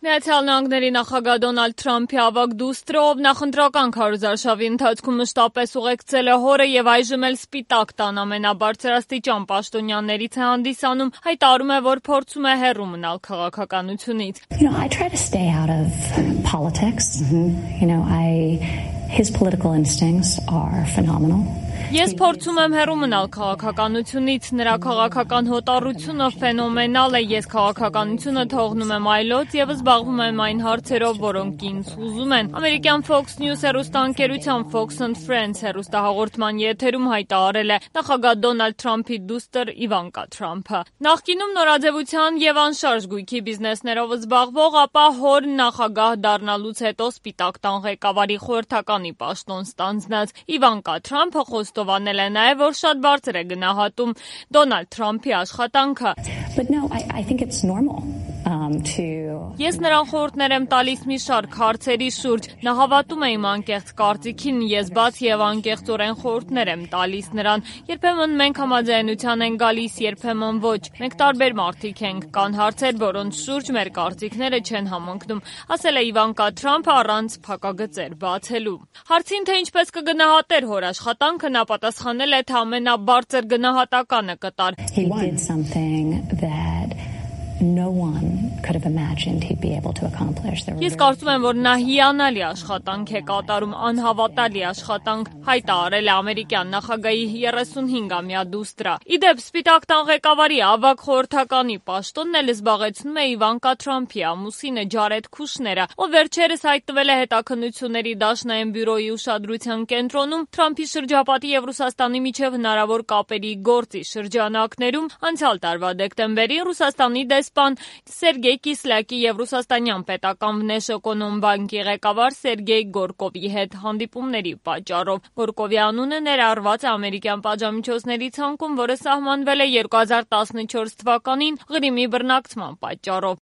Միացյալ Նահանգների նախագահ Դոնալդ Թրամփի ավագ դուստրը, ով նախընտրական քարոզարշավի ընթացքում մշտապես ուղեկցել է հորը եւ այժմ էլ Սպիտակ տան ամենաբարձրաստիճան պաշտոնյաներից է հանդիսանում, հայտարարում է, որ փորձում է հեռու մնալ քաղաքականությունից. I try to stay out of politics. His political instincts are phenomenal. Ես փորձում եմ հեռու մնալ քաղաքականությունից, նրա քաղաքական հոտառությունը ֆենոմենալ է, ես քաղաքականությունը թողնում եմ այլոց եւ զբաղվում եմ այն հարցերով, որոնք ինձ հուզում են։ Ամերիկյան Fox News հեռուստաընկերության Fox and Friends հեռուստահաղորդման եթերում հայտարարել է նախագահ Դոնալդ Թրամփի դուստր Իվանկա Թրամփը։ Նախկինում նորաձևության եւ անշարժ գույքի բիզնեսներով զբաղվող, ապա հոր նախագահ դառնալուց հետո Սպիտակ տան ղեկավարի խորհրդականի պաշտոն ստանձնած Իվանկա Թրամփը խոստովանել է նաև, որ շատ բարձր է գնահատում Դոնալդ Թրամփի աշխատանքը. Ես նրան խորհուրդներ եմ տալիս մի շարք հարցերի շուրջ, նա հավատում է իմ անկեղծ կարծիքին, ես բաց եւ անկեղծորեն խորհուրդներ եմ տալիս նրան, երբեմն մենք համաձայնության ենք գալիս, երբեմն ոչ, մենք տարբեր մարդիկ ենք, կան հարցեր, որոնց շուրջ մեր կարծիքները չեն համընկնում, ասել է Իվանկա Թրամփը առանց փակագծեր բացելու։ Հարցին, թե ինչպես կգնահատեր հոր աշխատանքը, նա պատասխանել է, թե ամենաբարձր գնահատականը կտար. No one could have imagined he'd be able to accomplish. Ես կարծում եմ, որ նա հիանալի աշխատանք է կատարում, անհավատալի աշխատանք, հայտարարել է ամերիկյան նախագահի 35-ամյա դուստրը։ Իդեպ Սպիտակ տան ղեկավարի ավագ խորհրդականի պաշտոնն էլ զբաղեցնում է Իվանկա Թրամփի ամուսինը Ջարեդ Քուշները, ով վերջերս հայտնվել է հետաքննությունների դաշնային բյուրոյի ուշադրության կենտրոնում Թրամփի շրջապատի եւ Ռուսաստանի միջև հնարավոր կապերի գործի շրջանակներում։ Անցյալ տարվա դեկտեմբերին Ռուսաստանի դեսպան Սերգեյ Կիսլյակի եւ ռուսաստանյան պետական Վնեշօկոնոմբանկի ղեկավար Սերգեյ Գորկովի հետ հանդիպումների պատճառով։ Գորկովի անունը ներառված է ամերիկյան պատժամիջոցների ցանկում, որը սահմանվել է 2014 թվականին Ղրիմի բռնակցման պատճառով։